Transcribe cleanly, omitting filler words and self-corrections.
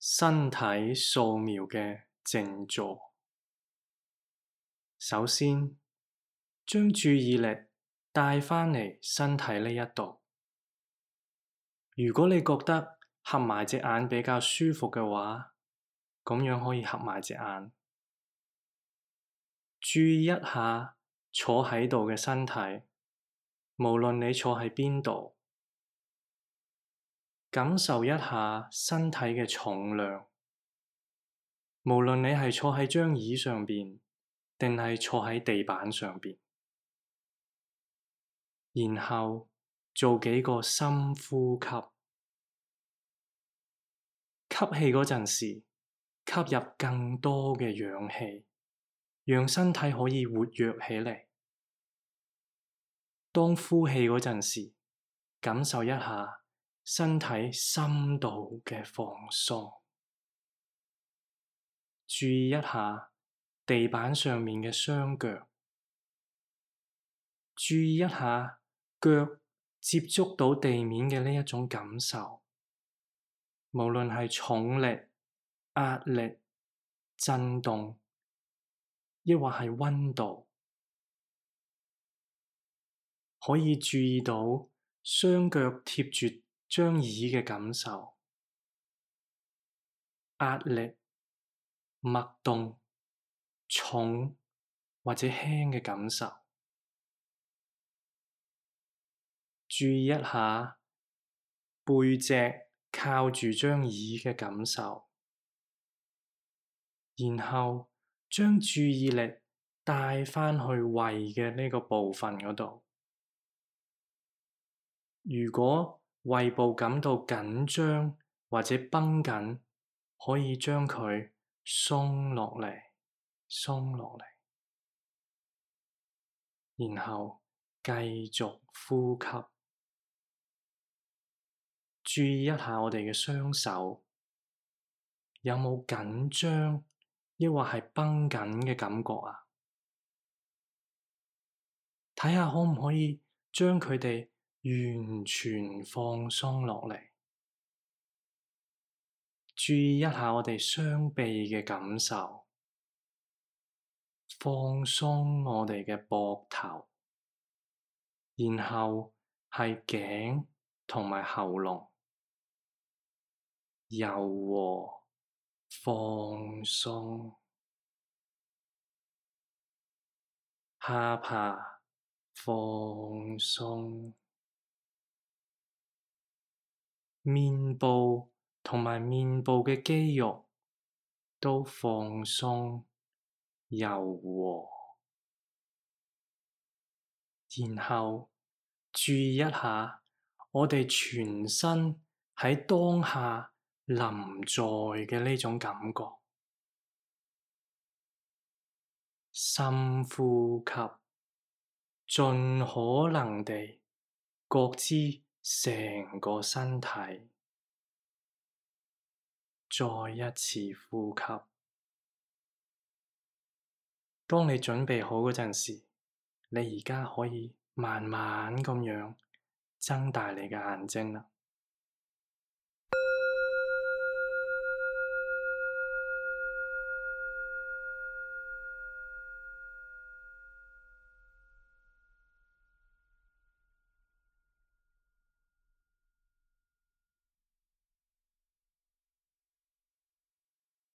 身體掃描嘅靜坐。首先，將注意力帶返嚟身體呢一度。如果你覺得合埋隻眼比較舒服嘅話，咁樣可以合埋隻眼。注意一下坐喺度嘅身體，無論你坐喺邊度，感受一下身體嘅重量。無論你係坐喺張椅上邊，定係坐喺地板上邊，然後做幾個深呼吸。吸氣嗰陣時，吸入更多嘅氧氣，讓身體可以活躍起嚟。當呼氣嗰陣時，感受一下身體深度嘅放鬆。注意一下地板上面嘅雙腳，注意一下腳接觸到地面嘅呢一種感受，無論係重力、壓力、震動，抑或係溫度，可以注意到雙腳貼住張椅嘅感受，壓力、脈動、重或者輕嘅感受。注意一下背脊靠住張椅嘅感受，然後將注意力帶返去胃嘅呢個部分嗰度。如果胃部感到緊張或者繃緊，可以將佢鬆落嚟，鬆落嚟，然後繼續呼吸。注意一下我哋嘅雙手，有冇緊張，抑或係繃緊嘅感覺啊？睇下可唔可以將佢哋完全放鬆落嚟。注意一下我哋雙臂嘅感受，放鬆我哋嘅膊頭，然後係頸同埋喉嚨，柔和放鬆，下巴放鬆，面部同埋面部嘅肌肉都放鬆柔和，然後注意一下我哋全身喺當下臨在嘅呢種感覺。深呼吸，盡可能地覺知成個身體。再一次呼吸。當你準備好嗰陣時，你而家可以慢慢咁樣睜大你嘅眼睛啦。